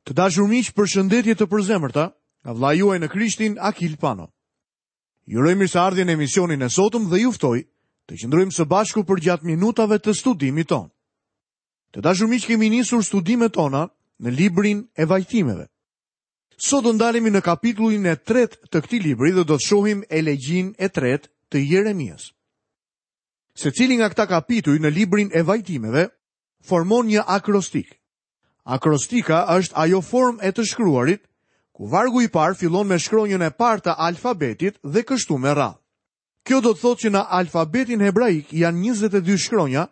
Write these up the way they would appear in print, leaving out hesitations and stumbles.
Të dashur miq, përshëndetje të përzemërta nga vëllai juaj në Krishtin Akil Pano. Ju uroj mirëseardhjen në emisionin e sotëm dhe ju ftoj të qëndrojmë së bashku përgjatë minutave të studimit tonë. Të dashur miq, kemi nisur studimet tona në librin e vajtimeve. Sot do ndalemi në kapitullin e tretë të këtij libri dhe do të shohim elegjinë e tretë të Jeremias. Secili nga këta kapituj në librin e vajtimeve formon një akrostik. Akrostika është ajo formë e të shkruarit, ku vargu i parë fillon me shkronjën e parë të alfabetit dhe kështu me radhë. Kjo do të thotë që në alfabetin hebraik janë 22 shkronja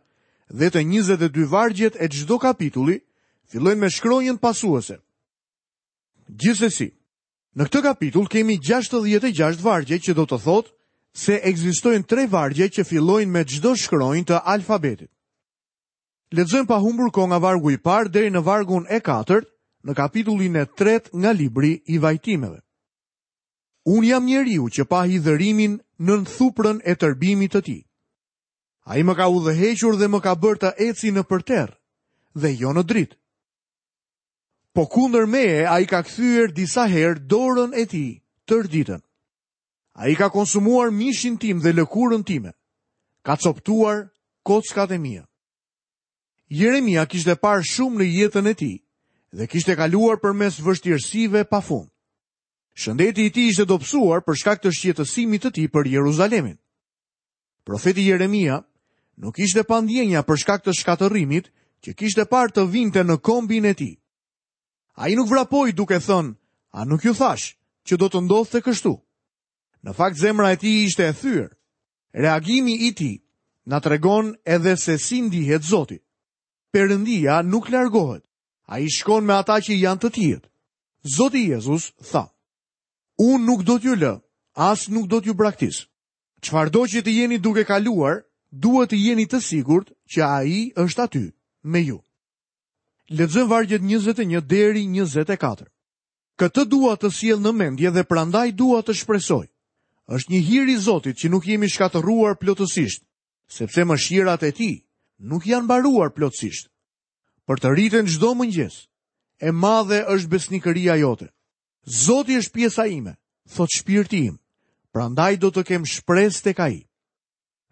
dhe të 22 vargjet e çdo kapitulli fillojnë me shkronjën pasuese. Gjithsesi, në këtë kapitull kemi 66 vargje që do të thotë se ekzistojnë tre vargje që fillojnë me çdo shkronjë të alfabetit. Lexojmë pa humbur kohë nga vargu i parë deri në vargun e katërt në kapitullin e tretë nga libri i vajtimeve. Unë jam njeriu që pa hidhërimin nën thuprën e tërbimit të tij. Ai më ka udhëhequr dhe më ka bërë të eci nëpër terr dhe jo në dritë. Po kundër meje ai ka kthyer disa herë dorën e tij tërë ditën. Ai ka konsumuar mishin tim dhe lëkurën time. Ka copëtuar kockat e mia. Jeremia kishte parë shumë në jetën e tij dhe kishte kaluar përmes vështirësive pa fund. Shëndeti i tij ishte dobësuar për shkak të shqetësimit të tij për Jeruzalemin. Profeti Jeremia nuk ishte pa ndjenja për shkak të shkatërrimit që kishte parë të vinte në kombin e tij. Ai nuk vrapoi duke thënë, a nuk ju thashë që do të ndodhte kështu? Në fakt zemra e tij ishte e thyer. Reagimi i tij na tregon edhe se si ndihet Zoti. Perëndia nuk largohet. Ai shkon me ata që janë të tijët. Zoti Jezus tha: Unë nuk do t'ju lë, as nuk do t'ju braktis. Çfarëdo që të jeni duke kaluar, duhet të jeni të sigurt që ai është aty me ju. Lexojmë vargjet 21 deri 24. Këtë dua të sjell në mendje dhe prandaj dua të shpresoj. Është një hir i Zotit që nuk jemi shkatërruar plotësisht, sepse mëshirat e tij nuk janë mbaruar plotësisht. Përtëriten çdo mëngjes. E madhe është besnikëria jote. Zoti është pjesa ime, thotë shpirti im. Prandaj do të kem shpresë tek ai.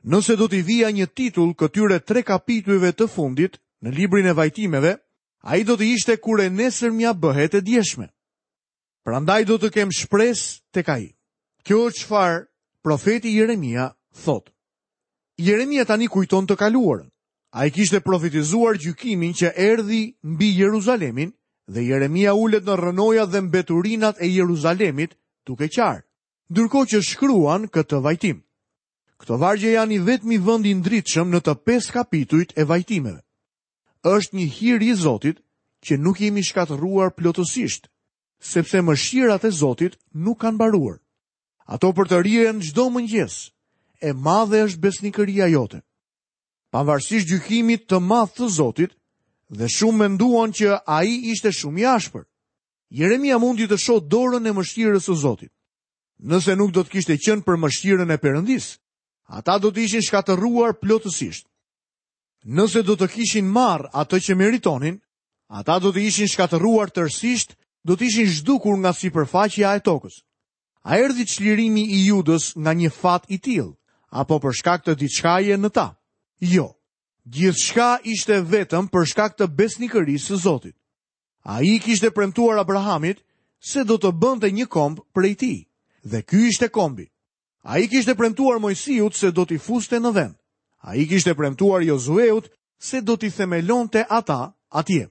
Nëse do t'i vija një titull këtyre tre kapitujve të fundit në librin e vajtimeve, ai do të ishte kur e nesërmja bëhet e djeshme. Prandaj do të kem shpresë tek ai. Kjo është çfarë profeti Jeremia thotë. Jeremia tani kujton të kaluarën. Ai kishte profetizuar gjykimin që erdhi mbi Jeruzalemin dhe Jeremia ulet në rrënojat dhe mbeturinat e Jeruzalemit duke qarë, ndërkohë që shkruan këtë vajtim. Këto vargje janë i vetmi vend i ndritshëm në të pesë kapitujt e vajtimeve. Është një hir i Zotit që nuk jemi shkatërruar plotësisht, sepse mëshirat e Zotit nuk kanë mbaruar. Ato përtërihen çdo mëngjes. E madhe është besnikëria jote. Pavarësisht gjykimit të madh të Zotit, dhe shumë menduan që ai ishte shumë i ashpër. Jeremia mundi të shohë dorën e mëshirës së Zotit. Nëse nuk do të kishte qenë për mëshirën e Perëndisë, ata do të ishin shkatërruar plotësisht. Nëse do të kishin marrë atë që meritonin, ata do të ishin shkatërruar tërësisht, do të ishin zhdukur nga sipërfaqja e tokës. A erdhi çlirimi i Judës nga një fat i tillë, apo për shkak të diçkaje në ta? Jo. Gjithçka ishte vetëm për shkak të besnikërisë së Zotit. Ai i kishte premtuar Abrahamit se do të bënte një komb prej tij, dhe ky ishte kombi. Ai i kishte premtuar Moisiut se do t'i fuste në vend. Ai i kishte premtuar Jozueut se do t'i themelonte ata atje.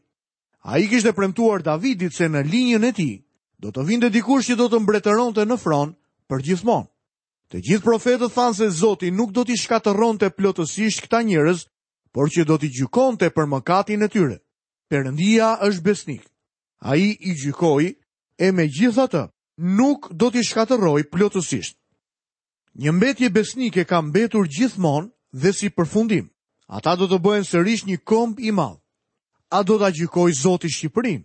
Ai i kishte premtuar Davidit se në linjën e tij do të vinte dikush që do të mbretëronte në fron përgjithmonë. Të gjithë profetët thanë se Zoti nuk do t'i shkatërronte plotësisht këta njerëz, por që do t'i gjykonte për mëkatin e tyre. Perëndia është besnik. Ai i gjykoi e megjithatë nuk do t'i shkatërrojë plotësisht. Një mbetje besnike ka mbetur gjithmonë dhe si përfundim, ata do të bëhen sërish një komb i madh. A do ta gjykojë Zoti Shqipërinë?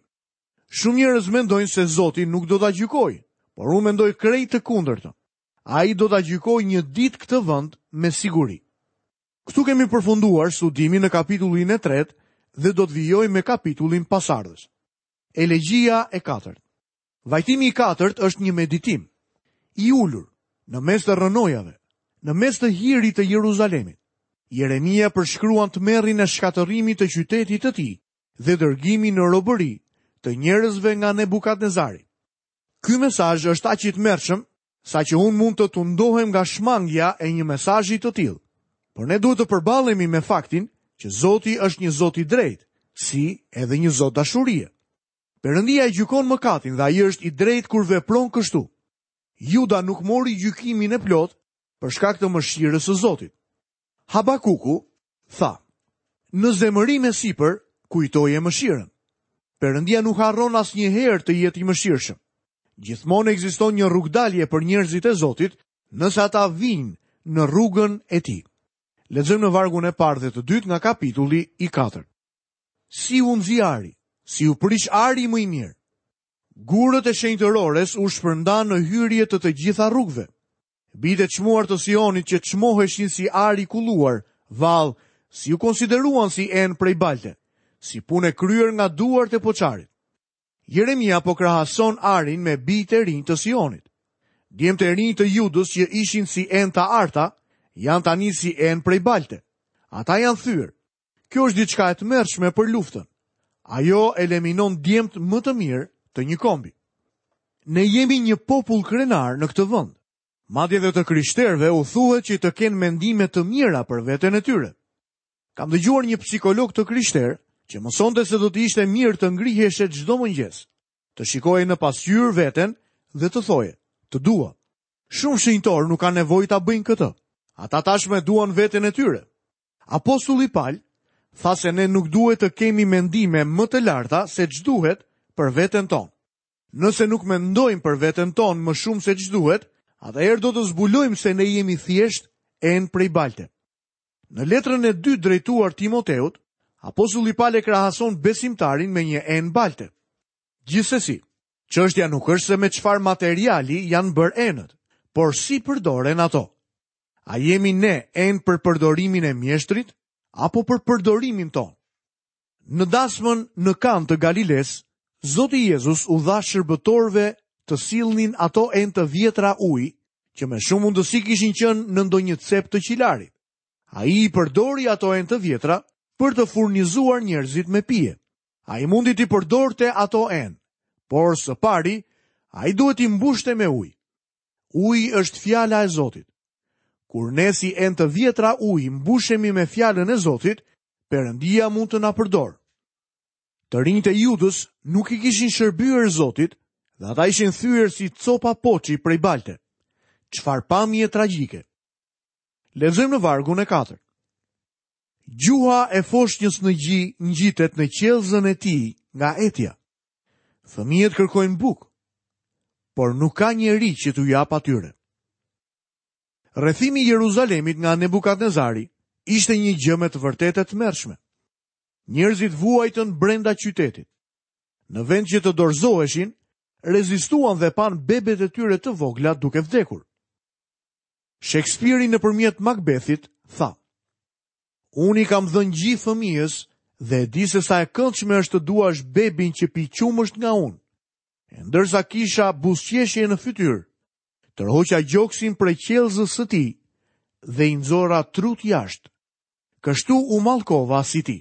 Shumë njerëz mendojnë se Zoti nuk do ta gjykojë, por unë mendoj krejt të kundërtën. Ai do ta gjykojë një ditë këtë vend me siguri. Këtu kemi përfunduar studimin në kapitullin e tretë dhe do të vijojmë me kapitullin pasardhës. Elegjia e katërt. Vajtimi i katërt është një meditim i ulur në mes të rrënojave, në mes të hirit të Jeruzalemit. Jeremia përshkruan tmerrin e shkatërrimit të qytetit të tij dhe dërgimin në robëri të njerëzve nga Nebukadnezari. Ky mesazh është aq i tmerrshëm saqë unë mund të tundohem nga shmangia e një mesazhi të tillë. Por ne duhet të përballemi me faktin që Zoti është një Zot i drejtë, si edhe një Zot dashurie. Perëndia e gjykon mëkatin dhe ai është i drejtë kur vepron kështu. Juda nuk mori gjykimin e plotë për shkak të mëshirës së Zotit. Habakuku tha: Në zemërim e sipër kujtoje mëshirën. Perëndia nuk harron asnjëherë të jetë i mëshirshëm. Gjithmonë ekziston një rrugëdalje për njerëzit e Zotit, nëse ata vijnë në rrugën e tij. Lexojmë në vargun e parë dhe të dytë nga kapitulli i katërt. Si u nxi ari, si u prish ari më i mirë. Gurët e shenjtërores u shpërndanë në hyrje të të gjitha rrugëve. Bijtë e çmuar të Sionit që çmoheshin si ar i kulluar, vallë, si u konsideruan si enë prej balte, si punë e kryer nga duart e poçarit. Jeremia po krahason arin me bijtë e rinj të Sionit. Djemtë e rinj të Judës që ishin si enë të arta, janë tani si enë prej balte. Ata janë thyer. Kjo është diçka e tmerrshme për luftën. Ajo eliminon djemtë më të mirë të një kombi. Ne jemi një popull krenar në këtë vend. Madje dhe të krishterëve u thuhet që të kenë mendime të mira për veten e tyre. Kam dëgjuar një psikolog të krishterë që mësonte se do të ishte mirë të ngriheshe çdo mëngjes, të shikoje në pasqyrë veten dhe të thoje, të dua. Shumë shenjtorë nuk kanë nevojë ta bëjnë këtë. Ata tashmë e duan veten e tyre. Apostulli Pal tha se ne nuk duhet të kemi mendime më të larta se ç'duhet për veten tonë. Nëse nuk mendojmë për veten tonë më shumë se ç'duhet, atëherë do të zbulojmë se ne jemi thjesht enë prej balte. Në letrën e dytë drejtuar Timoteut, apostulli Pal e krahason besimtarin me një enë balte. Gjithsesi, çështja nuk është se me çfarë materiali janë bërë enët, por si përdoren ato. A jemi ne enë për përdorimin e mjeshtrit apo për përdorimin tonë? Në dasmën në Kanë të Galilesë, Zoti Jezus u dha shërbëtorëve të sillnin ato enë të vjetra uji, që me shumë mundësi kishin qenë në ndonjë cep të qilarit. Ai i përdori ato enë të vjetra për të furnizuar njerëzit me pije. Ai mundi t'i përdorte ato enë, por së pari, ai duhet t'i mbushte me ujë. Uji është fjala e Zotit. Kur ne si enë të vjetra uji mbushemi me fjalën e Zotit, Perëndia mund të na përdorë. Të rinjtë e Judës nuk i kishin shërbyer Zotit dhe ata ishin thyer si copa poçi prej balte. Çfarë pamje tragjike. Lexojmë në vargun e katërt. Gjuha e foshnjës në gji ngjitet në qiellzën e tij nga etja. Fëmijët kërkojnë bukë, por nuk ka njeri që t'u japë atyre. Rrethimi i Jeruzalemit nga Nebukadnezari ishte një gjë me të vërtetë e tmerrshme. Njerëzit vuajtën brenda qytetit. Në vend që të dorëzoheshin, rezistuan dhe panë bebet e tyre të vogla duke vdekur. Shekspiri nëpërmjet Makbethit tha: Unë i kam dhënë gji fëmijës dhe e di se sa e këndshme është të duash bebin që pi qumësht nga unë. E ndërsa kisha buzëqeshje në fytyrë, tërhoqa gjoksin prej qiellzës së tij dhe i nxora trutë jashtë. Kështu u mallkova si ti.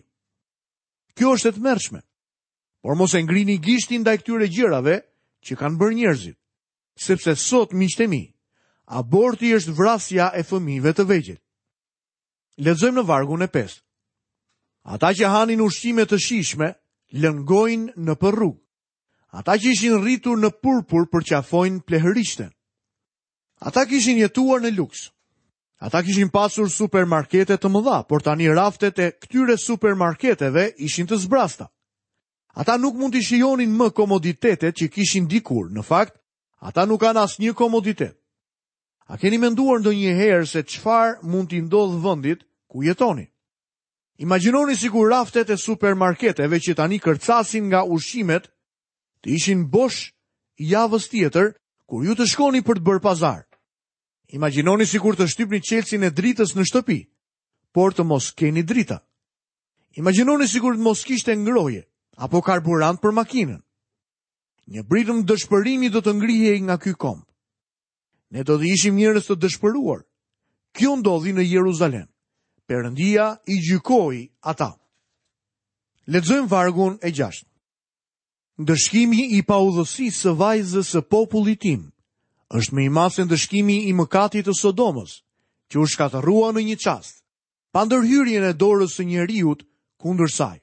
Kjo është e tmerrshme. Por mos e ngrini gishtin ndaj këtyre gjërave që kanë bërë njerëzit. Sepse sot, miqtë e mi, aborti është vrasja e fëmijëve të vegjël. Lexojmë në vargun e 5. Ata që hanin ushqime të shijshme, lëngojnë nëpër rrugë. Ata që ishin rritur në purpur përqafojnë plehërishten. Ata kishin jetuar në luks. Ata kishin pasur supermarkete të mëdha, por tani raftet e këtyre supermarketeve ishin të zbrazëta. Ata nuk mund t'i shijonin më komoditetet që kishin dikur. Në fakt, ata nuk kanë asnjë komoditet. A keni menduar ndonjëherë se çfarë mund t'i ndodhë vendit ku jetoni? Imagjinoni sikur raftet e supermarketeve që tani kërcasin nga ushqimet të ishin bosh javës tjetër kur ju të shkoni për të bërë pazar. Imagjinoni sikur të shtypni çelësin e dritës në shtëpi, por të mos keni drita. Imagjinoni sikur të mos kishte ngrohje apo karburant për makinën. Një britmë dëshpërimi do të ngrihej nga ky komb. Ne do të ishim njerëz të dëshpëruar. Kjo ndodhi në Jeruzalem. Perëndia i gjykoi ata. Lexojmë vargun e 6. Ndëshkimi i paudhësisë së vajzës së popullit tim është më i madh se ndëshkimi i mëkatit të Sodomës, që u shkatërrua në një çast, pa ndërhyrjen e dorës së njeriut kundër saj.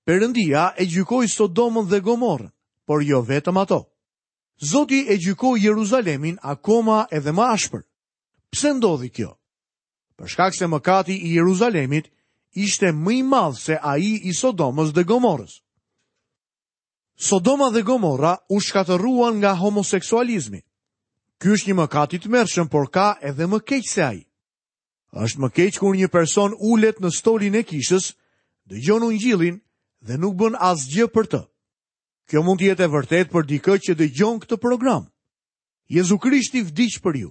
Perëndia e gjykoi Sodomën dhe Gomorrën, por jo vetëm ato. Zoti e gjykoi Jeruzalemin akoma edhe më ashpër. Pse ndodhi kjo? Për shkak se mëkati i Jeruzalemit ishte më i madh se ai i Sodomës dhe Gomorrës. Sodoma dhe Gomorra u shkatërruan nga homoseksualizmi. Ky është një mëkat i tmerrshëm, por ka edhe më keq se ai. Është më keq kur një person ulet në stolin e kishës, dëgjon ungjillin dhe nuk bën asgjë për të. Kjo mund të jetë e vërtetë për dikë që dëgjon këtë program. Jezu Krishti vdiq për ju.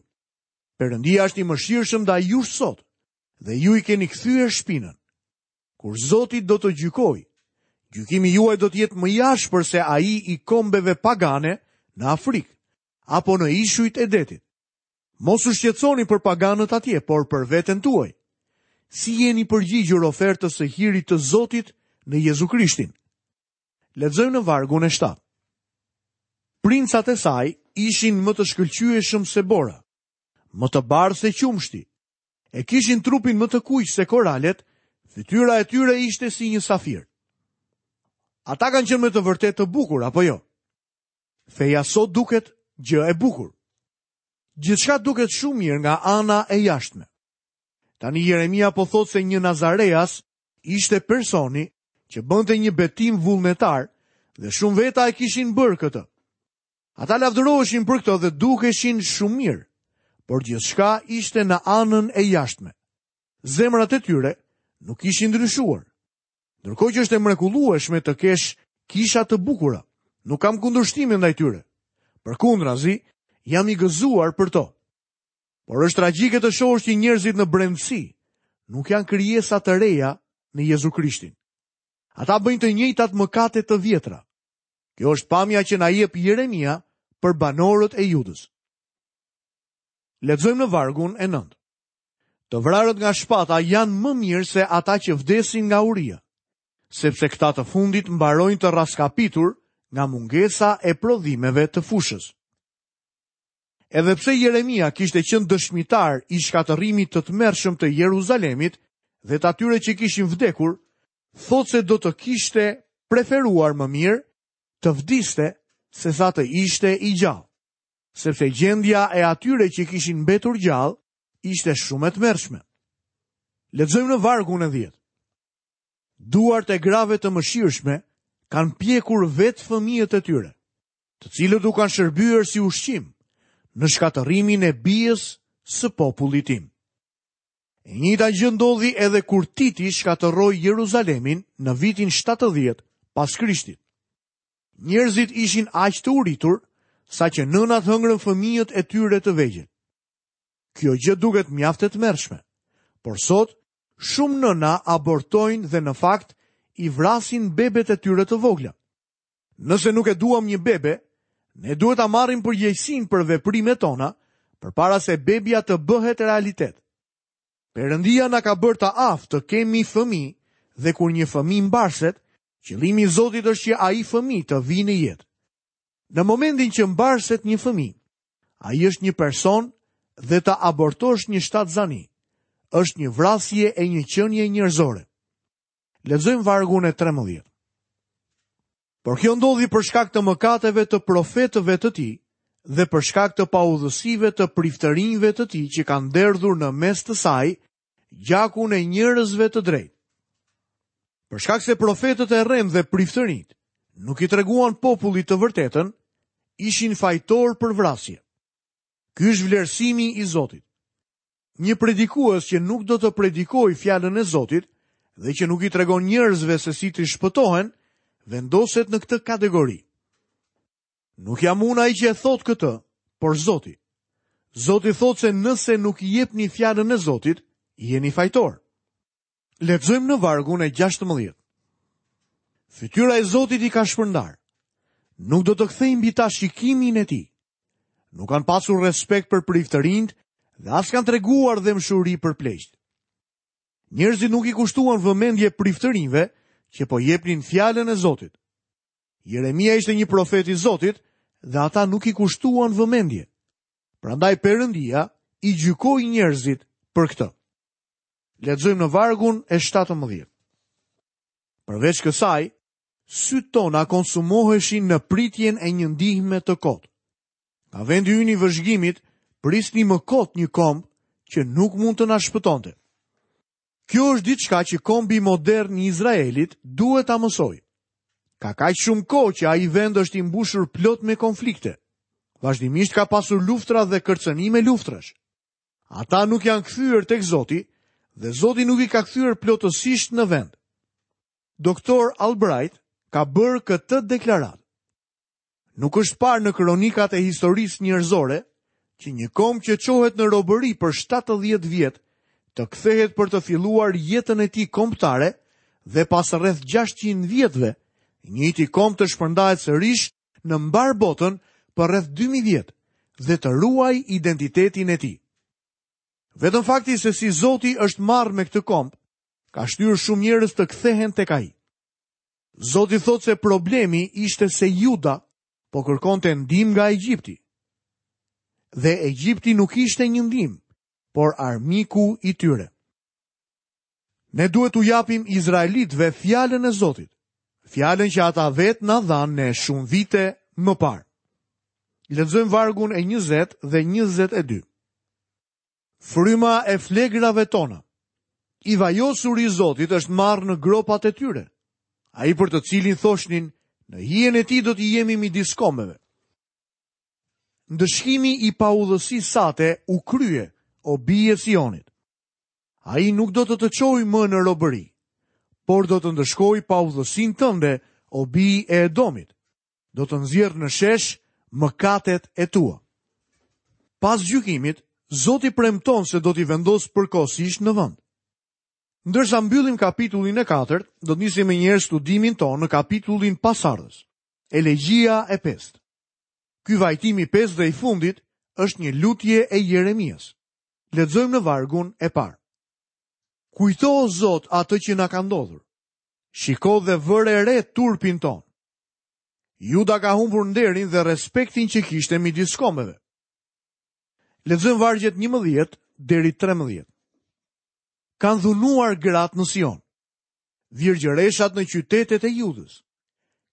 Perëndia është i mëshirshëm ndaj jush sot dhe ju i keni kthyer shpinën. Kur Zoti do të gjykojë, gjykimi juaj do të jetë më i ashpër se ai i kombeve pagane në Afrikë apo në ishujt e detit. Mos u shqetësoni për paganët atje, por për veten tuaj. Si jeni përgjigjur ofertës së hirit të Zotit në Jezu Krishtin? Lexojmë në vargun e 7. Princat e saj ishin më të shkëlqyeshëm se bora, më të bardhë se qumështi. E kishin trupin më të kuq se koralet, fytyra e tyre ishte si një safir. Ata kanë qenë me të vërtetë të bukur, apo jo? Feja sot duket gjë e bukur. Gjithçka duket shumë mirë nga ana e jashtme. Tani Jeremia po thotë se një Nazareas ishte personi që bënte një betim vullnetar dhe shumë veta e kishin bërë këtë. Ata lavdëroheshin për këtë dhe dukeshin shumë mirë, por gjithçka ishte në anën e jashtme. Zemrat e tyre nuk ishin ndryshuar. Ndërkohë që është e mrekullueshme të kesh kisha të bukura, nuk kam kundërshtime ndaj tyre. Përkundrazi, jam i gëzuar për to. Por është tragjike të shohësh që njerëzit në brendësi nuk janë krijesa të reja në Jezu Krishtin. Ata bëjnë të njëjtat mëkate të vjetra. Kjo është pamja që na jep Jeremia për banorët e Judës. Lexojmë në vargun e 9. Të vrarët nga shpata janë më mirë se ata që vdesin nga uria, sepse këta të fundit mbarojnë të rraskapitur nga mungesa e prodhimeve të fushës. Edhe pse Jeremia kishte qenë dëshmitar i shkatërrimit të tmerrshëm të Jeruzalemit dhe të atyre që kishin vdekur, thotë se do të kishte preferuar më mirë të vdiste sesa të ishte i gjallë, sepse gjendja e atyre që kishin mbetur gjallë ishte shumë e tmerrshme. Lexojmë në vargun e 10. Duart e grave të mëshirshme kanë pjekur vetë fëmijët e tyre. të cilët u kanë shërbyer si ushqim në shkatërrimin e bijës së popullit tim. E njëjta gjë ndodhi edhe kur Titi shkatërroi Jeruzalemin në vitin 70 pas Krishtit. Njerëzit ishin aq të uritur saqë nënat hëngrën fëmijët e tyre të vegjël. Kjo gjë duket mjaft e tmerrshme. Por sot shumë nëna abortojnë dhe në fakt i vrasin bebet e tyre të vogla. Nëse nuk e duam një bebe, ne duhet ta marrim përgjegjësinë për veprimet tona përpara se bebja të bëhet realitet. Perëndia na ka bërë të aftë të kemi fëmijë dhe kur një fëmijë mbarset, qëllimi i Zotit është që ai fëmijë të vijë në jetë. Në momentin që mbarset një fëmijë, ai është një person dhe të abortosh një shtatzani është një vrasje e një qenie njerëzore. Lexojmë vargun e 13. Por kjo ndodhi për shkak të mëkateve të profetëve të tij dhe për shkak të paudhësive të priftërinjve të tij që kanë derdhur në mes të saj gjakun e njerëzve të drejtë. Për shkak se profetët e rremë dhe priftërinjtë nuk i treguan popullit të vërtetën, ishin fajtorë për vrasje. Ky është vlerësimi i Zotit. Një predikues që nuk do të predikojë fjalën e Zotit dhe që nuk i tregon njerëzve se si të shpëtohen, vendoset në këtë kategori. Nuk jam unë ai që e thotë këtë, por Zoti. Zoti thotë se nëse nuk i jepni fjalën e Zotit, jeni fajtorë. Lexojmë në vargun e 16. Fytyra e Zotit i ka shpërndarë. Nuk do të kthejë mbi ta shikimin e tij. Nuk kanë pasur respekt për priftërinjtë dhe as kanë treguar dhembshuri për pleqtë. Njerëzit nuk i kushtuan vëmendje priftërinjve që po jepnin fjalën e Zotit. Jeremia ishte një profet i Zotit dhe ata nuk i kushtuan vëmendje. Prandaj Perëndia i gjykoi njerëzit për këtë. Lexojmë në vargun e 17. Përveç kësaj, sytë tona konsumoheshin në pritjen e një ndihme të kotë. Nga vendi ynë i vëzhgimit, prisnim më kot një komb që nuk mund të na shpëtonte. Kjo është diçka që kombi modern i Izraelit duhet ta mësojë. Ka kaq shumë kohë që ai vend është i mbushur plot me konflikte. Vazhdimisht ka pasur luftra dhe kërcënime luftrash. Ata nuk janë kthyer tek Zoti dhe Zoti nuk i ka kthyer plotësisht në vend. Doktor Albright ka bërë këtë deklaratë. Nuk është parë në kronikat e historisë njerëzore që një komb që çohet në robëri për 70 vjet të kthehet për të filluar jetën e tij kombëtare dhe pas rreth 600 vjetëve, i njëjti komb të shpërndahet sërish në mbarë botën për rreth 2000 vjet dhe të ruajë identitetin e tij. Vetëm fakti se si Zoti është marrë me këtë komb, ka shtyrë shumë njerëz të kthehen tek ai. Zoti thotë se problemi ishte se Juda po kërkonte ndihmë nga Egjipti. Dhe Egjipti nuk ishte një ndihmë, por armiku i tyre. Ne duhet t'u japim izraelitëve fjalën e Zotit, fjalën që ata vetë na dhanë ne shumë vite më parë. Lexojmë vargun e 20 dhe 22. Fryma e flegrave tona. I vajosuri i Zotit është marrë në gropat e tyre. Ai për të cilin thoshnin, në hijen e tij do të jemi midis kombeve. Ndëshkimi i paudhësisë sate u krye, o bijë e Sionit. Ai nuk do të të çojë më në robëri, por do të ndëshkojë paudhësinë tënde, o bijë e Edomit. Do të nxjerrë në shesh mëkatet e tua. Pas gjykimit, Zoti premton se do t'i vendosë përkohësisht në vend. Ndërsa mbyllim kapitullin e katërt, do të nisim menjëherë studimin tonë në kapitullin pasardhës, Elegjia e pestë. Ky vajtim i pestë dhe i fundit është një lutje e Jeremias. Lexojmë në vargun e parë. Kujto o Zot atë që na ka ndodhur. Shiko dhe vëre re turpin tonë. Juda ka humbur nderin dhe respektin që kishte midis kombeve. Lexojmë vargjet 11 deri 13. Kanë dhunuar gratë në Sion, virgjëreshat në qytetet e Judës.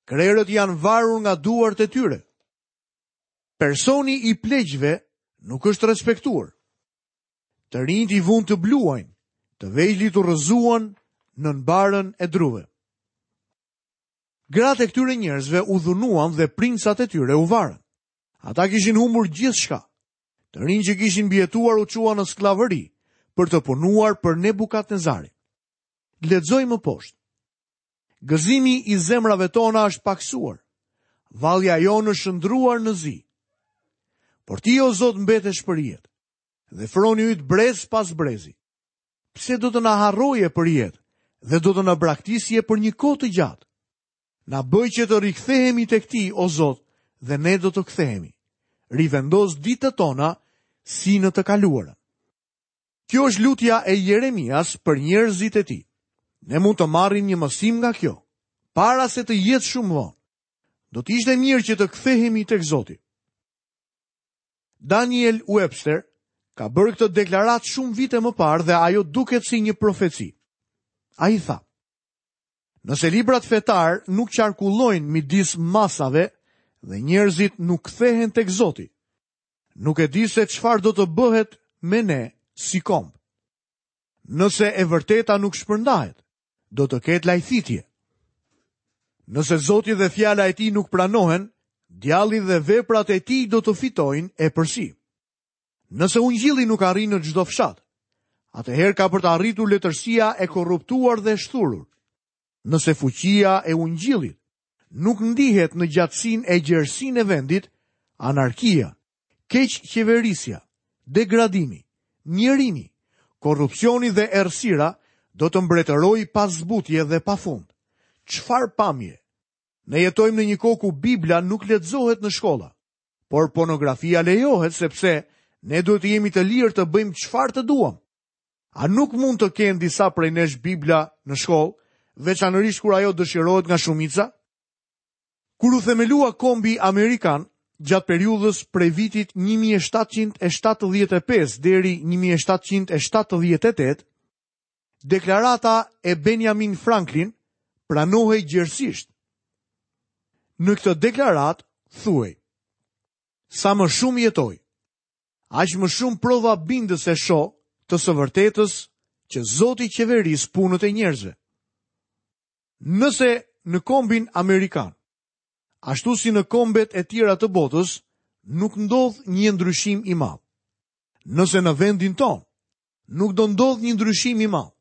Krerët janë varur nga duart e tyre. Personi i pleqve nuk është respektuar. Të rinjtë i vunë të bluajnë, të vegjlit u rrëzuan nën barrën e druve. Gratë e këtyre njerëzve u dhunuan dhe princat e tyre u varën. Ata kishin humbur gjithçka. Të rinjtë që kishin mbijetuar u çuan në skllavëri për të punuar për Nebukadnezarin. Lexojmë më poshtë. Gëzimi i zemrave tona është pakësuar. Vallja jonë është shndërruar në zi. Por ti o Zot mbetesh përjetë dhe froni yt brez pas brezi. Pse do të na harroje përjetë dhe do të na braktisje për një kohë të gjatë? Na bëj që të rikthehemi tek ti, o Zot, dhe ne do të kthehemi. Rivendos ditët tona si në të kaluarën. Kjo është lutja e Jeremias për njerëzit e tij. Ne mund të marrim një mësim nga kjo, para se të jetë shumë vonë. Do të ishte mirë që të kthehemi tek Zoti. Daniel Webster ka bërë këtë deklaratë shumë vite më parë dhe ajo duket si një profeci. Ai tha: Nëse librat fetarë nuk qarkullojnë midis masave dhe njerëzit nuk kthehen tek Zoti, nuk e di se çfarë do të bëhet me ne si komb. Nëse e vërteta nuk shpërndahet, do të ketë lajthitje. Nëse Zoti dhe fjala e tij nuk pranohen, djalli dhe veprat e tij do të fitojnë epërsi. Nëse ungjilli nuk arrin në çdo fshat, atëherë ka për të arritur letërsia e korruptuar dhe e shthurur. Nëse fuqia e ungjillit nuk ndihet në gjatësinë e gjerësinë e vendit, anarkia, keqqeverisja, degradimi, mjerimi, korrupsioni dhe errësira do të mbretërojë pa zbutje dhe pa fund. Çfarë pamje! Ne jetojmë në një kohë ku Bibla nuk lexohet në shkolla, por pornografia lejohet sepse ne duhet të jemi të lirë të bëjmë çfarë të duam. A nuk mund të kenë disa prej nesh Bibla në shkollë, veçanërisht kur ajo dëshirohet nga shumica? Kur u themelua kombi amerikan, gjatë periudhës prej vitit 1775 deri 1778, deklarata e Benjamin Franklin pranohej gjerësisht. Në këtë deklaratë thuhej: Sa më shumë jetoj, aq më shumë prova bindëse shoh të së vërtetës që Zoti qeveris punët e njerëzve. Nëse në kombin amerikan, ashtu si në kombet e tjera të botës, nuk ndodh një ndryshim i madh. Nëse në vendin tonë nuk do ndodhë një ndryshim i madh,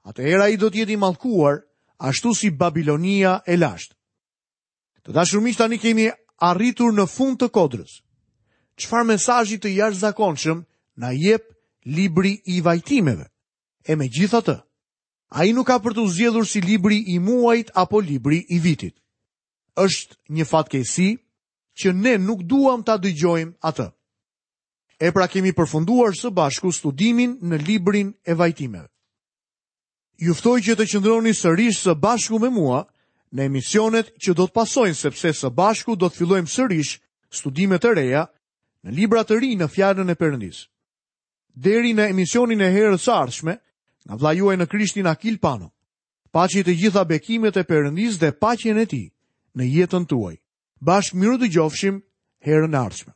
atëherë ai do të jetë i mallkuar, ashtu si Babilonia e lashtë. Të dashur miq, tani kemi arritur në fund të kodrës. Çfarë mesazhi të jashtëzakonshëm na jep libri i vajtimeve? E megjithatë, ai nuk ka për t'u zgjedhur si libri i muajit apo libri i vitit. Është një fatkeqësi që ne nuk duam ta dëgjojmë atë. E pra kemi përfunduar së bashku studimin në librin e vajtimeve. Ju ftoj që të qëndroni sërish së bashku me mua në emisionet që do të pasojnë sepse së bashku do të fillojmë sërish studime të reja në libra të rinj në fjalën e Perëndisë. Deri në emisionin e herës së ardhshme, nga vëllai juaj në Krishtin Akil Pano. Paçi të gjitha bekimet e Perëndisë dhe paqen e tij në jetën tuaj. Bashkë mirudëgjofshim herën e ardhshme.